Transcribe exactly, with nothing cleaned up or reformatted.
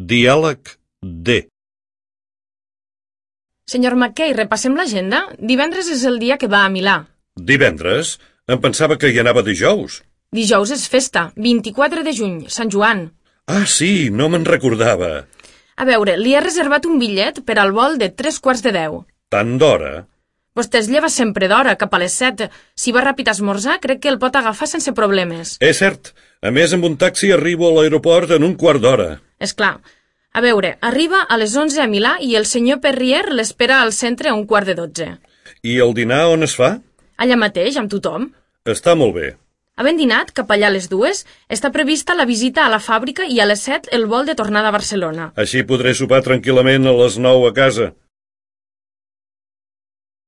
Diàleg D. Senyor McKay, repassem l'agenda. Divendres és el dia que va a Milà. Divendres? Em pensava que hi anava dijous. Dijous és festa, vint-i-quatre de juny, Sant Joan. Ah, sí, no me'n recordava. A veure, li he reservat un bitllet per al vol de tres quarts de deu. Tant d'hora? Vostè es lleva sempre d'hora, cap a les set. Si va ràpid a esmorzar, crec que el pot agafar sense problemes. És cert. A més, amb un taxi arribo a l'aeroport en un quart d'hora. És clar. A veure, arriba a les onze a Milà i el senyor Perrier l'espera al centre a un quart de dotze. I el dinar on es fa? Allà mateix, amb tothom. Està molt bé. Havent dinat, cap allà a les dues, està prevista la visita a la fàbrica i a les set el vol de tornada a Barcelona. Així podré sopar tranquil·lament a les nou a casa.